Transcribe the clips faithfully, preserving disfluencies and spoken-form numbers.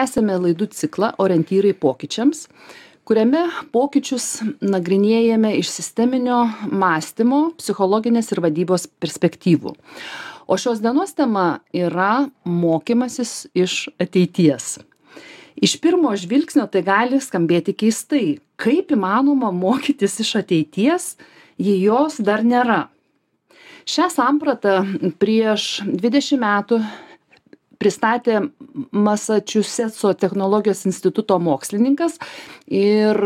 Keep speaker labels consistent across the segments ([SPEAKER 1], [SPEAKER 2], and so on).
[SPEAKER 1] Tęsiame laidų ciklą Orientyrai pokyčiams, kuriame pokyčius nagrinėjame iš sisteminio mąstymo, psichologinės ir vadybos perspektyvų. O šios dienos tema yra mokymasis iš ateities. Iš pirmo žvilgsnio tai gali skambėti keistai. Kaip įmanoma mokytis iš ateities, jei jos dar nėra? Šią sampratą prieš dvidešimt metų pristatė Masačusetso technologijos instituto mokslininkas ir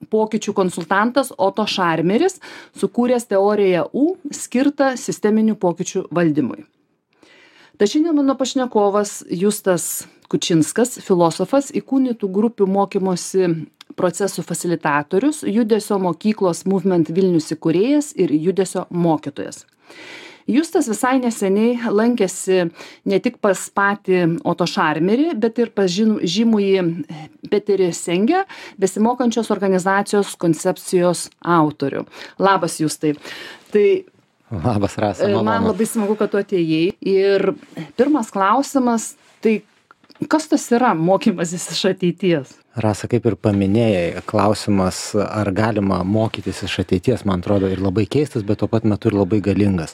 [SPEAKER 1] pokyčių konsultantas Oto Šarmeris, sukūręs teoriją U skirtą sisteminių pokyčių valdymui. Tai šiandien mano pašnekovas Justas Kučinskas, filosofas, įkūnytų grupių mokymosi procesų fasilitatorius, Judesio mokyklos Movement Vilnius įkūrėjas ir judesio mokytojas. Justas visai neseniai lankėsi ne tik pas patį Oto Šarmerį, bet ir pas žymųjį Peterį Sengę, besimokančios organizacijos koncepcijos autorių. Labas, Justai. Tai
[SPEAKER 2] Labas, Rasa.
[SPEAKER 1] Man labai smagu, kad tu atėjai. Ir pirmas klausimas, tai kas tas yra mokymasis iš ateities?
[SPEAKER 2] Rasa, kaip ir paminėjai, klausimas, ar galima mokytis iš ateities, man atrodo, ir labai keistas, bet tuo pat metu ir labai galingas.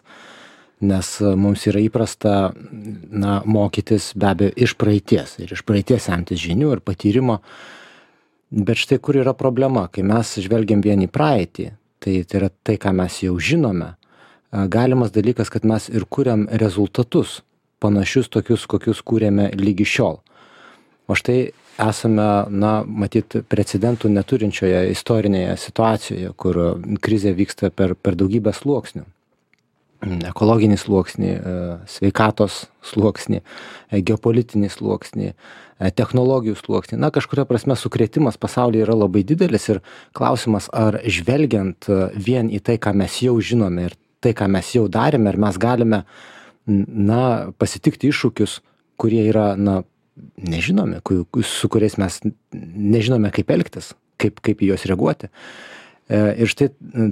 [SPEAKER 2] Nes mums yra įprasta na, mokytis be abejo iš praeities ir iš praeities semtis žinių ir patyrimo. Bet štai kur yra problema, kai mes žvelgiam vien į praeitį, tai, tai yra tai, ką mes jau žinome, galimas dalykas, kad mes ir kuriam rezultatus, panašius tokius, kokius kūrėme lygi šiol. O štai esame, na, matyt, precedentų neturinčioje istorinėje situacijoje, kur krizė vyksta per, per daugybę sluoksnių. Ekologinį sluoksnį, sveikatos sluoksnį, geopolitinį sluoksnį, technologijų sluoksnį. Na, kažkuria prasme sukrėtimas pasaulyje yra labai didelis ir klausimas, ar žvelgiant vien į tai, ką mes jau žinome ir tai, ką mes jau darėme, ar mes galime, na, pasitikti iššūkius, kurie yra, na, nežinomi, su kuriais mes nežinome, kaip elgtis, kaip, kaip į juos reaguoti. Ir štai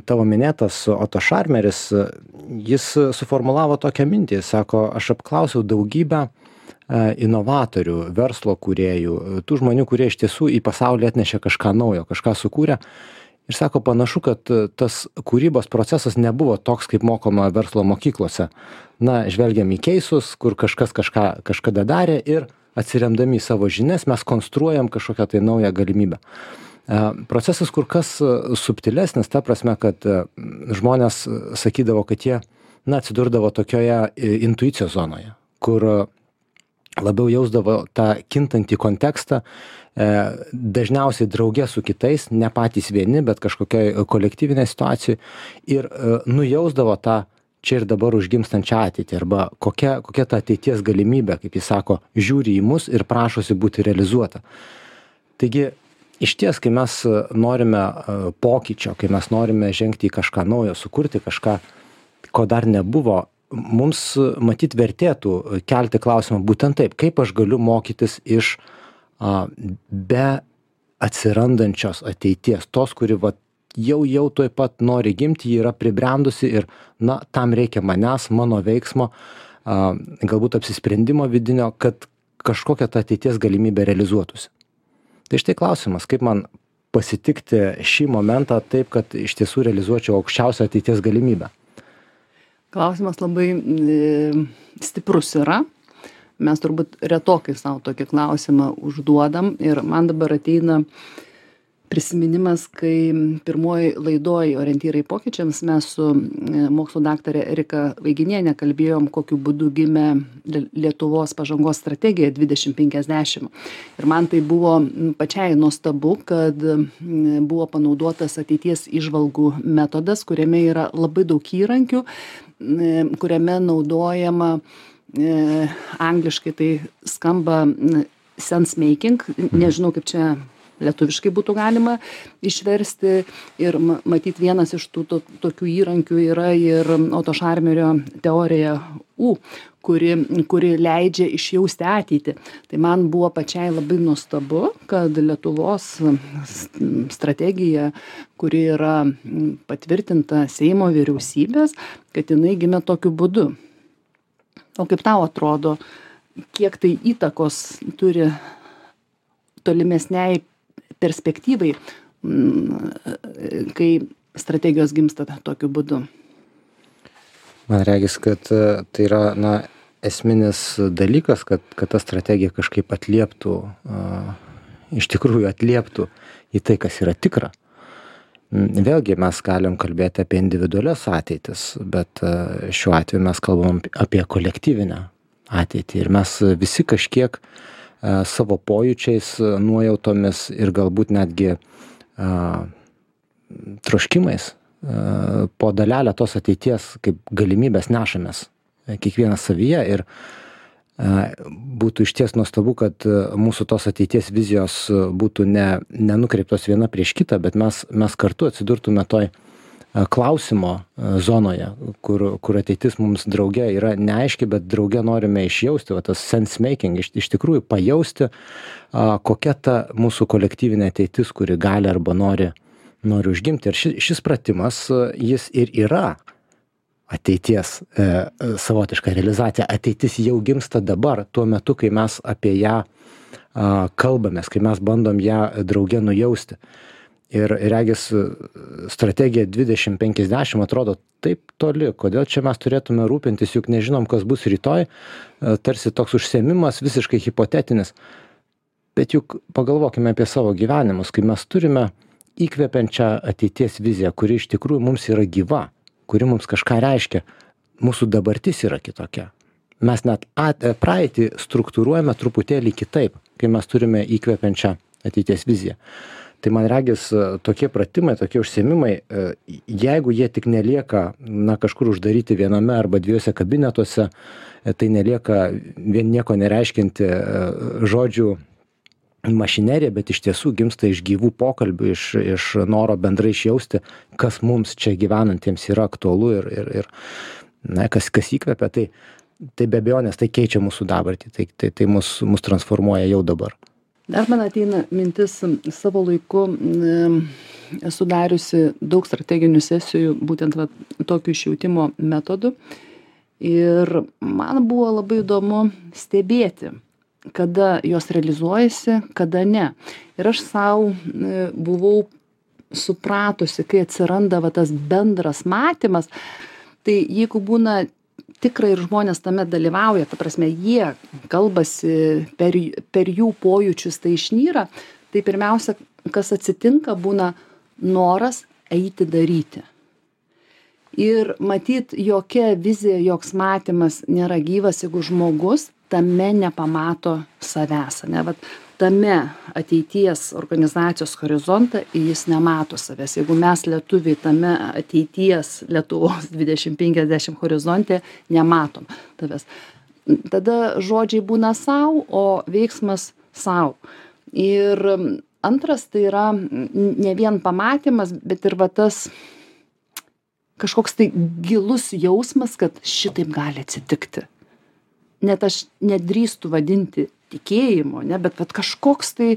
[SPEAKER 2] tavo minėtas Oto Šarmeris, jis suformulavo tokią mintį, sako, aš apklausiau daugybę inovatorių, verslo kūrėjų, tų žmonių, kurie iš tiesų į pasaulį atnešė kažką naujo, kažką sukūrė. Ir sako, panašu, kad tas kūrybos procesas nebuvo toks, kaip mokoma verslo mokyklose. Na, žvelgiam į keisus, kur kažkas kažką kažkada darė ir atsiremdami į savo žinias mes konstruojam kažkokią tai naują galimybę. Procesas kur kas subtilesnis, ta prasme, kad žmonės sakydavo, kad jie, na, atsidurdavo tokioje intuicijos zonoje, kur labiau jausdavo tą kintantį kontekstą, dažniausiai drauge su kitais, ne patys vieni, bet kažkokioj kolektyvinėje situacijoje ir nujausdavo tą čia ir dabar užgimstančią ateitį arba kokia, kokia ta ateities galimybė, kaip jis sako, žiūri į mus ir prašosi būti realizuota. Taigi, iš ties, kai mes norime pokyčio, kai mes norime žengti į kažką naujo, sukurti kažką, ko dar nebuvo, mums matyt vertėtų kelti klausimą būtent taip, kaip aš galiu mokytis iš a, be atsirandančios ateities, tos, kuri va, jau jau tuoj pat nori gimti, ji yra pribrendusi ir na, tam reikia manęs, mano veiksmo, a, galbūt apsisprendimo vidinio, kad kažkokia ta ateities galimybė realizuotųsi. Tai štai klausimas, kaip man pasitikti šį momentą taip, kad iš tiesų realizuočiau aukščiausią ateities galimybę?
[SPEAKER 1] Klausimas labai e, stiprus yra. Mes turbūt retokai savo tokį klausimą užduodam ir man dabar ateina prisiminimas, kai pirmoji laidoj Orientyrai pokyčiams mes su mokslo daktare Erika Vaiginiene kalbėjom, kokiu būdu gimė Lietuvos pažangos strategija dvidešimt penkiasdešimt. Ir man tai buvo pačiai nuostabu, kad buvo panaudotas ateities įžvalgų metodas, kuriame yra labai daug įrankių, kuriame naudojama e, angliškai tai skamba sense making, nežinau kaip čia lietuviškai būtų galima išversti ir matyt vienas iš tų to, tokių įrankių yra ir Oto Šarmerio teorija U, kuri, kuri leidžia išjausti ateitį. Tai man buvo pačiai labai nuostabu, kad Lietuvos strategija, kuri yra patvirtinta Seimo vyriausybės, kad jinai gimė tokiu būdu. O kaip tau atrodo, kiek tai įtakos turi tolimesniai perspektyvai, kai strategijos gimsta tokiu būdu.
[SPEAKER 2] Man regis, kad tai yra, na, esminis dalykas, kad, kad ta strategija kažkaip atlieptų, uh, iš tikrųjų atlieptų į tai, kas yra tikra. Vėlgi mes galim kalbėti apie individualias ateitis, bet uh, šiuo atveju mes kalbam apie kolektyvinę ateitį ir mes visi kažkiek uh, savo pojūčiais, nuojautomis ir galbūt netgi uh, troškimais uh, po dalelę tos ateities kaip galimybės nešamės kiekvienas savyje ir būtų išties nuostabu, kad mūsų tos ateities vizijos būtų ne, nenukreiptos viena prieš kitą, bet mes, mes kartu atsidurtume toj klausimo zonoje, kur, kur ateitis mums drauge yra neaiški, bet drauge norime išjausti, va, tas sense making, iš, iš tikrųjų pajausti, kokia ta mūsų kolektyvinė ateitis, kuri gali arba nori, nori užgimti. Ir šis, šis pratimas, jis ir yra ateities e, savotiška realizacija. Ateitis jau gimsta dabar, tuo metu, kai mes apie ją a, kalbamės, kai mes bandom ją drauge nujausti. Ir regis strategija dvidešimt penkiasdešimt atrodo taip toli, kodėl čia mes turėtume rūpintis, juk nežinom, kas bus rytoj, a, tarsi toks užsiėmimas visiškai hipotetinis. Bet juk pagalvokime apie savo gyvenimus, kai mes turime įkvepiančią ateities viziją, kuri iš tikrųjų mums yra gyva, kuri mums kažką reiškia, mūsų dabartis yra kitokia. Mes net at, praeitį struktūruojame truputėlį kitaip, kai mes turime įkvepiančią ateities viziją. Tai man regis tokie pratimai, tokie užsiėmimai, jeigu jie tik nelieka, na, kažkur uždaryti viename arba dviejose kabinetuose, tai nelieka vien nieko nereiškinti žodžių mašinerija, bet iš tiesų gimsta iš gyvų pokalbių, iš, iš noro bendrai išjausti, kas mums čia gyvenantiems yra aktualu ir, ir, ir na, kas, kas įkvepia, tai, tai be abejonės tai keičia mūsų dabartį, tai, tai, tai mus, mus transformuoja jau dabar.
[SPEAKER 1] Dar man ateina mintis, savo laiku esu dariusi daug strateginių sesijų, būtent va, tokių išjautimo metodų ir man buvo labai įdomu stebėti, kada jos realizuojasi, kada ne. Ir aš savo buvau supratusi, kai atsiranda va, tas bendras matymas, tai jeigu būna tikrai ir žmonės tame dalyvauja, ta prasme, jie kalbasi, per, per jų pojūčius tai išnyra, tai pirmiausia, kas atsitinka, būna noras eiti daryti. Ir matyt, jokia vizija, joks matymas nėra gyvas, jeigu žmogus tame nepamato savęs, ne, vat tame ateities organizacijos horizontą jis nemato savęs. Jeigu mes lietuviai tame ateities Lietuvos dvidešimt penkiasdešimt horizonte nematom tavęs, tada žodžiai būna sau, o veiksmas sau. Ir antras tai yra ne vien pamatymas, bet ir va tas kažkoks tai gilus jausmas, kad šitaip gali atsitikti. Net aš nedrįstu vadinti tikėjimo, ne, bet, bet kažkoks tai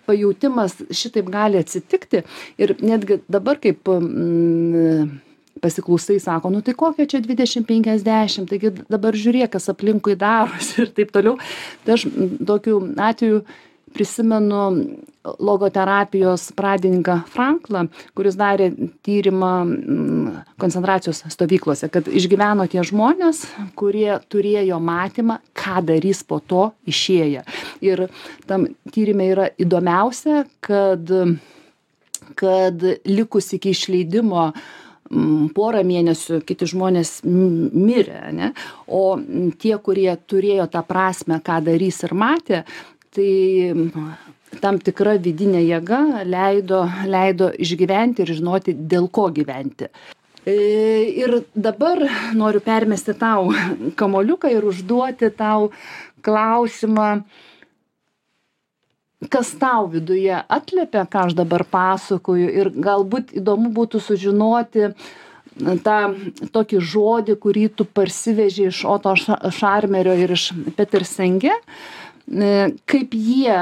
[SPEAKER 1] pajautimas šitaip gali atsitikti. Ir netgi dabar kaip mm, pasiklausai, sako, nu tai kokia čia dvidešimt penkiasdešimt, taigi dabar žiūrėk, kas aplinkui darosi ir taip toliau. Tai aš tokiu atveju prisimenu logoterapijos pradininką Franklą, kuris darė tyrimą koncentracijos stovyklose, kad išgyveno tie žmonės, kurie turėjo matymą, ką darys po to išėję. Ir tam tyrime yra įdomiausia, kad, kad likus iki išleidimo porą mėnesių kiti žmonės mirė, ne? O tie, kurie turėjo tą prasmę, ką darys ir matė, tai tam tikra vidinė jėga leido, leido išgyventi ir žinoti, dėl ko gyventi. Ir dabar noriu permesti tau kamoliuką ir užduoti tau klausimą, kas tau viduje atliepia, ką aš dabar pasakoju, ir galbūt įdomu būtų sužinoti tą tokį žodį, kurį tu parsiveži iš Oto Šarmerio ir iš Peter Senge, kaip jie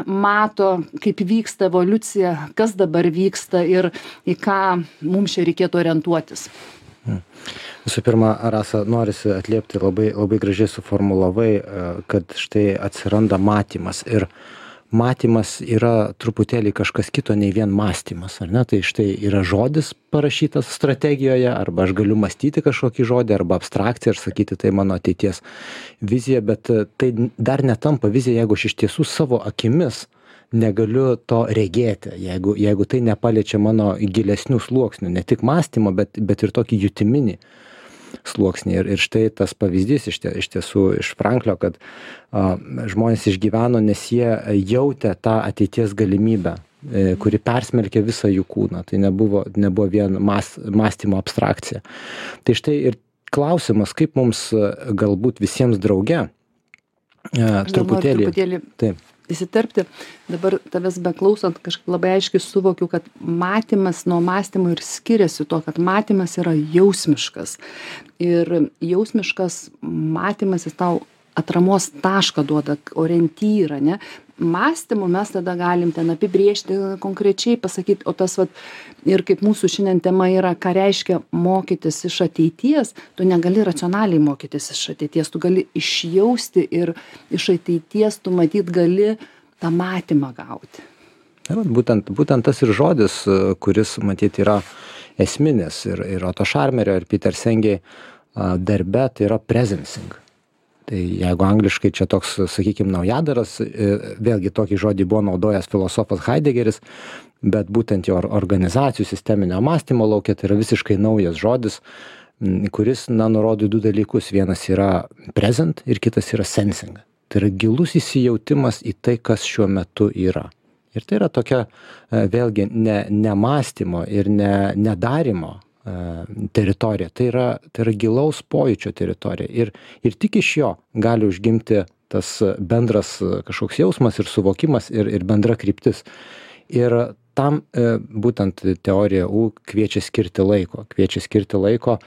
[SPEAKER 1] mato, kaip vyksta evoliucija, kas dabar vyksta ir į ką mums čia reikėtų orientuotis.
[SPEAKER 2] Visų pirma, Rasa, norisi atliepti, labai, labai gražiai suformulavai, kad štai atsiranda matymas. Ir matymas yra truputėlį kažkas kito nei vien mąstymas, ar ne? Tai štai yra žodis parašytas strategijoje, arba aš galiu mąstyti kažkokį žodį, arba abstrakciją ir sakyti, tai mano ateities vizija, bet tai dar netampa vizija, jeigu aš iš tiesų savo akimis negaliu to regėti, jeigu, jeigu tai nepaliečia mano gilesnių sluoksnių, ne tik mąstymo, bet, bet ir tokį jutiminį sluoksnį. Ir, ir štai tas pavyzdys iš, tie, iš tiesų iš Franklio, kad a, žmonės išgyveno, nes jie jautė tą ateities galimybę, e, kuri persmelkė visą jų kūną. Tai nebuvo, nebuvo vien mas, mąstymo abstrakcija. Tai štai ir klausimas, kaip mums galbūt visiems drauge e, truputėlį...
[SPEAKER 1] truputėlį...
[SPEAKER 2] Taip.
[SPEAKER 1] įsiterpti. Dabar tavęs beklausant kažkaip labai aiškiai suvokiu, kad matymas nuo mąstymo ir skiriasi tuo, kad matymas yra jausmiškas. Ir jausmiškas matymas jis tau atramos tašką duoda, orientyrą, ne? Mąstymu mes tada galim ten apibrėžti konkrečiai, pasakyti, o tas vat, ir kaip mūsų šiandien tema yra, ką reiškia mokytis iš ateities, tu negali racionaliai mokytis iš ateities, tu gali išjausti ir iš ateities tu matyt gali tą matymą gauti.
[SPEAKER 2] Ja, būtent, būtent tas ir žodis, kuris matyt yra esminis ir, ir Otto Scharmerio ir Peter Senge darbe, tai yra presencing. Tai jeigu angliškai čia toks, sakykime, naujadaras, vėlgi tokį žodį buvo naudojęs filosofas Heideggeris, bet būtent jo organizacijų sisteminio mąstymo laukia tai yra visiškai naujas žodis, kuris, na, nurodo du dalykus. Vienas yra present ir kitas yra sensing. Tai yra gilus įsijautimas į tai, kas šiuo metu yra. Ir tai yra tokia, vėlgi, ne, ne mąstymo ir ne, nedarimo teritorija, tai yra, tai yra gilaus pojūčio teritorija ir, ir tik iš jo gali užgimti tas bendras kažkoks jausmas ir suvokimas ir, ir bendra kryptis. Ir tam e, būtent teorija U kviečia skirti laiko, kviečia skirti laiko e,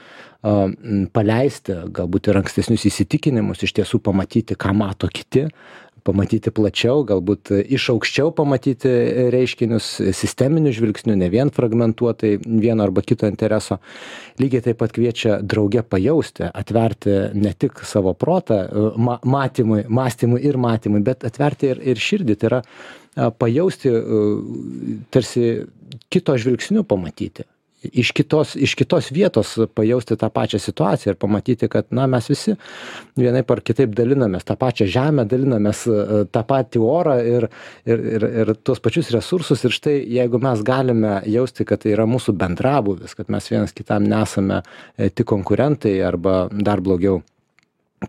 [SPEAKER 2] paleisti galbūt ir ankstesnius įsitikinimus, iš tiesų pamatyti, ką mato kiti, pamatyti plačiau, galbūt iš aukščiau pamatyti reiškinius sisteminiu žvilgsniu, ne vien fragmentuotai vieno arba kito intereso. Lygiai taip pat kviečia drauge pajausti, atverti ne tik savo protą ma matymui, mąstymui ir matymui, bet atverti ir, ir širdį. Tai yra pajausti, tarsi kito žvilgsniu pamatyti. Iš kitos, iš kitos vietos pajausti tą pačią situaciją ir pamatyti, kad, na, mes visi vienaip ar kitaip dalinamės tą pačią žemę, dalinamės tą patį orą ir, ir, ir, ir tuos pačius resursus. Ir štai, jeigu mes galime jausti, kad tai yra mūsų bendrabuvis, kad mes vienas kitam nesame tik konkurentai arba dar blogiau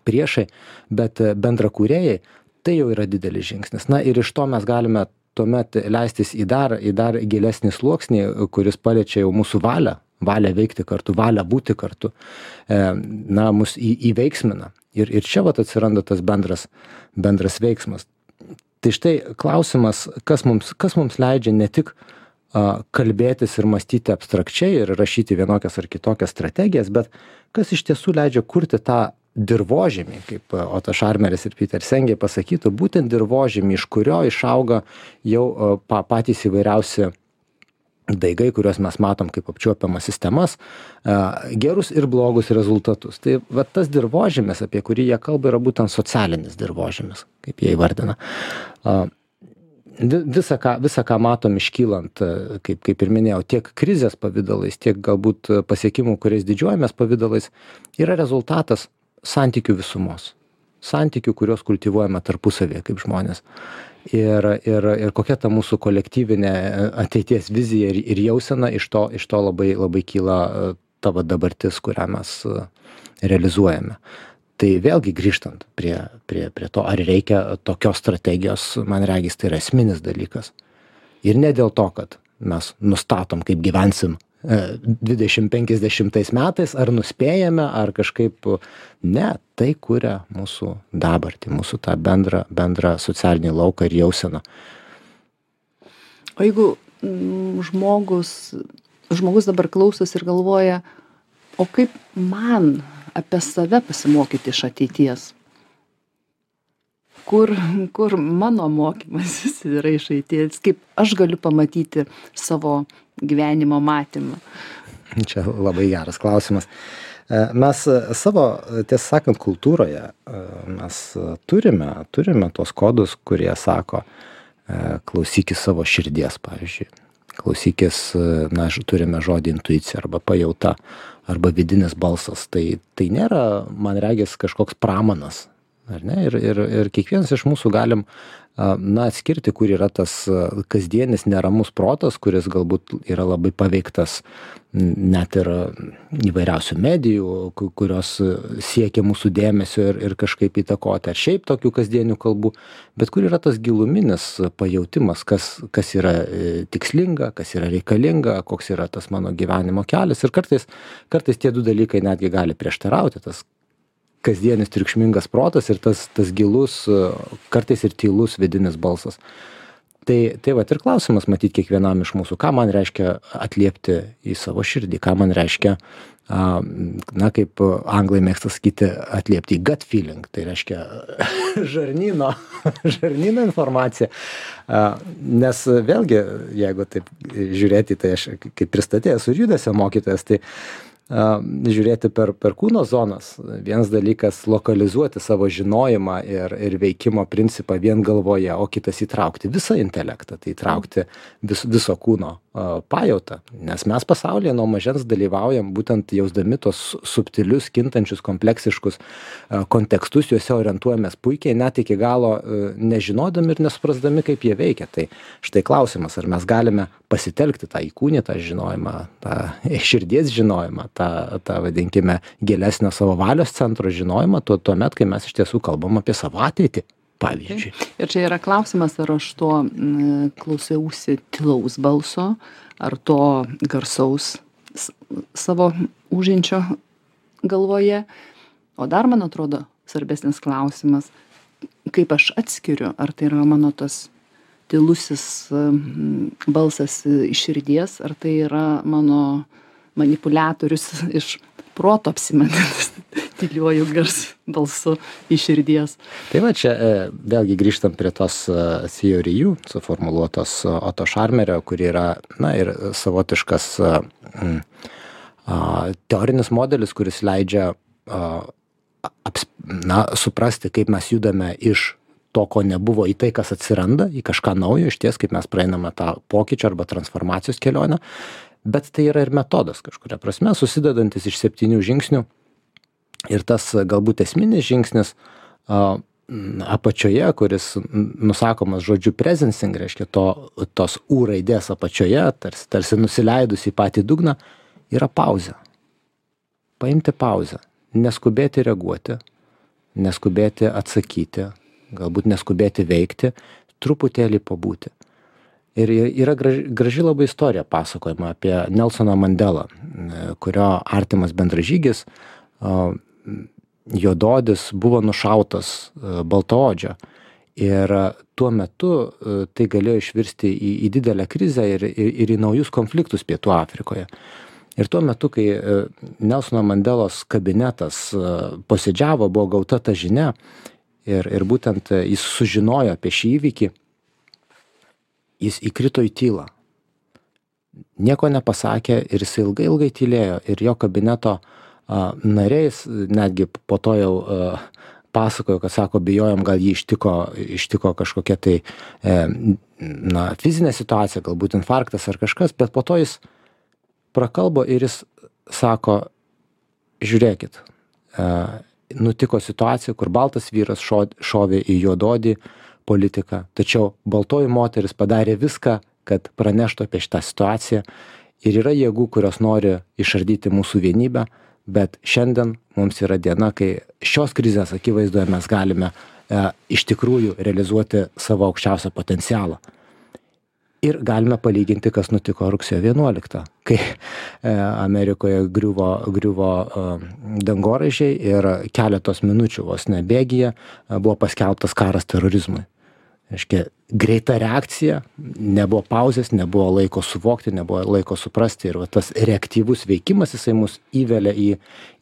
[SPEAKER 2] priešai, bet bendrakūrėjai, tai jau yra didelis žingsnis. Na ir iš to mes galime tuomet leistis į dar, į dar gilesnį sluoksnį, kuris paliečia jau mūsų valią, valią veikti kartu, valią būti kartu, na, mus į, įveiksmina. Ir, ir čia vat atsiranda tas bendras, bendras veiksmas. Tai štai klausimas, kas mums, kas mums leidžia ne tik a, kalbėtis ir mąstyti abstrakčiai ir rašyti vienokias ar kitokias strategijas, bet kas iš tiesų leidžia kurti tą dirvožemį, kaip Otto Scharmeris ir Peter Senge pasakytų, būtent dirvožemį, iš kurio išauga jau pa, patys įvairiausi daigai, kuriuos mes matom kaip apčiuopiamas sistemas, gerus ir blogus rezultatus. Tai va, tas dirvožemis, apie kurį jie kalba, yra būtent socialinis dirvožemis, kaip jie įvardina. Visa ką, visa, ką matom iškylant, kaip, kaip ir minėjau, tiek krizės pavydalais, tiek galbūt pasiekimų, kuriais didžiuojamės pavydalais, yra rezultatas santykių visumos. Santykių, kuriuos kultivuojame tarpusavėje kaip žmonės. Ir, ir, ir kokia ta mūsų kolektyvinė ateities vizija ir, ir jausena, iš to, iš to labai, labai kyla tavo dabartis, kurią mes realizuojame. Tai vėlgi grįžtant prie, prie, prie to, ar reikia tokios strategijos, man regis, tai yra esminis dalykas. Ir ne dėl to, kad mes nustatom, kaip gyvensim dvidešimt penkiasdešimtais metais, ar nuspėjame, ar kažkaip, ne, tai kuria mūsų dabartį, mūsų tą bendrą, bendrą socialinį lauką ir jauseną.
[SPEAKER 1] O jeigu mm, žmogus, žmogus dabar klausosi ir galvoja, o kaip man apie save pasimokyti iš ateities? Kur, kur mano mokymasis yra iš ateities? Kaip aš galiu pamatyti savo gyvenimo matymą?
[SPEAKER 2] Čia labai geras klausimas. Mes savo, tiesą sakant, kultūroje mes turime, turime tos kodus, kurie sako, klausykis savo širdies, pavyzdžiui. Klausykis, na, turime žodį intuicija arba pajauta, arba vidinis balsas. Tai, tai nėra, man regis, kažkoks pramanas. Ar ne? Ir, ir, ir kiekvienas iš mūsų galim, na, atskirti, kur yra tas kasdienis neramus protas, kuris galbūt yra labai paveiktas net ir įvairiausių medijų, kurios siekia mūsų dėmesio ir, ir kažkaip įtakoti, ar šiaip tokių kasdienių kalbų, bet kur yra tas giluminis pajautimas, kas, kas yra tikslinga, kas yra reikalinga, koks yra tas mano gyvenimo kelias. Ir kartais, kartais tie du dalykai netgi gali prieštarauti, tas kasdienis triukšmingas protas ir tas, tas gilus, kartais ir tylus vidinis balsas. Tai, tai vat ir klausimas matyt kiekvienam iš mūsų, ką man reiškia atliepti į savo širdį, ką man reiškia, na, kaip anglai mėgsta sakyti, atliepti į gut feeling, tai reiškia žarnyno, žarnyno informacija. Nes vėlgi, jeigu taip žiūrėti, tai aš kaip pristatėjęs ir judesio mokytojas, tai žiūrėti per, per kūno zonas. Vienas dalykas lokalizuoti savo žinojimą ir, ir veikimo principą vien galvoje, o kitas įtraukti visą intelektą, tai įtraukti vis, viso kūno uh, pajautą. Nes mes pasaulyje nuo mažens dalyvaujam būtent jausdami tos subtilius, kintančius, kompleksiškus uh, kontekstus, juose orientuojamės puikiai, net iki galo uh, nežinodami ir nesuprasdami, kaip jie veikia. Tai štai klausimas, ar mes galime pasitelkti tą įkūnytą žinojimą, tą širdies žinojimą, tą, tą vadinkime, gilesnio savo valios centro žinojimą, tuo, tuomet, kai mes iš tiesų kalbam apie savo ateitį, pavyzdžiui.
[SPEAKER 1] Ir čia yra klausimas, ar aš to m, klausiausi tylaus balso, ar to garsaus s, savo užinčio galvoje. O dar, man atrodo, svarbesnis klausimas, kaip aš atskiriu, ar tai yra mano tas tylusis balsas iš širdies, ar tai yra mano manipuliatorius iš proto apsimetantis tyliuoju gars balsu iš širdies.
[SPEAKER 2] Tai va čia vėlgi grįžtam prie tos theorijų suformuluotos Otto Scharmerio, kuri yra, na, ir savotiškas mm, a, teorinis modelis, kuris leidžia a, aps, na, suprasti, kaip mes judame iš to, ko nebuvo, į tai, kas atsiranda, į kažką naujo, iš ties, kaip mes praeiname tą pokyčio arba transformacijos kelionę. Bet tai yra ir metodas kažkuria prasme, susidedantis iš septynių žingsnių. Ir tas galbūt esminis žingsnis a, apačioje, kuris nusakomas žodžiu presencing, reiškia to, tos U raidės apačioje, tarsi, tarsi nusileidus į patį dugną, yra pauzė. Paimti pauzę, neskubėti reaguoti, neskubėti atsakyti, galbūt neskubėti veikti, truputėlį pabūti. Ir yra graži, graži labai istorija pasakojama apie Nelsoną Mandelą, kurio artimas bendražygis, juodaodis, buvo nušautas baltaodžio. Ir tuo metu tai galėjo išvirsti į, į didelę krizę ir, ir, ir į naujus konfliktus Pietų Afrikoje. Ir tuo metu, kai Nelsono Mandelos kabinetas posėdžiavo, buvo gauta ta žinia, ir, ir būtent jis sužinojo apie šį įvykį, jis įkrito į tylą. Nieko nepasakė ir jis ilgai, ilgai tylėjo. Ir jo kabineto a, nariais, netgi po to jau a, pasakojo, kad sako, bijojom, gal jį ištiko, ištiko kažkokia tai e, na, fizinė situacija, galbūt infarktas ar kažkas, bet po to jis prakalbo ir jis sako, žiūrėkit, e, nutiko situacija, kur baltas vyras šo, šovė į juododį politiką, tačiau baltoji moteris padarė viską, kad praneštų apie šitą situaciją ir yra jėgų, kurios nori išardyti mūsų vienybę, bet šiandien mums yra diena, kai šios krizės akivaizdoje mes galime e, iš tikrųjų realizuoti savo aukščiausią potencialą. Ir galime palyginti, kas nutiko rugsėjo vienuoliktą, kai e, Amerikoje griuvo, griuvo e, dangoraižiai ir keletos minučių vos nebėgyje e, buvo paskelbtas karas terorizmui. Reiškia, greita reakcija, nebuvo pauzės, nebuvo laiko suvokti, nebuvo laiko suprasti ir va, tas reaktyvus veikimas jisai mus įvelia į,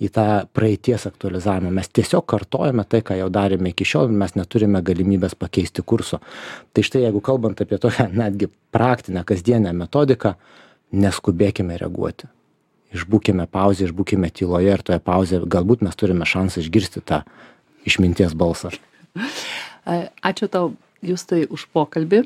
[SPEAKER 2] į tą praeities aktualizavimą. Mes tiesiog kartojame tai, ką jau darėme iki šiol, mes neturime galimybės pakeisti kurso. Tai štai, jeigu kalbant apie tokią netgi praktinę, kasdienę metodiką, neskubėkime reaguoti. Išbūkime pauzę, išbūkime tyloje ir toje pauzėje galbūt mes turime šansą išgirsti tą išminties balsą.
[SPEAKER 1] Ačiū tau, Justai, už pokalbį.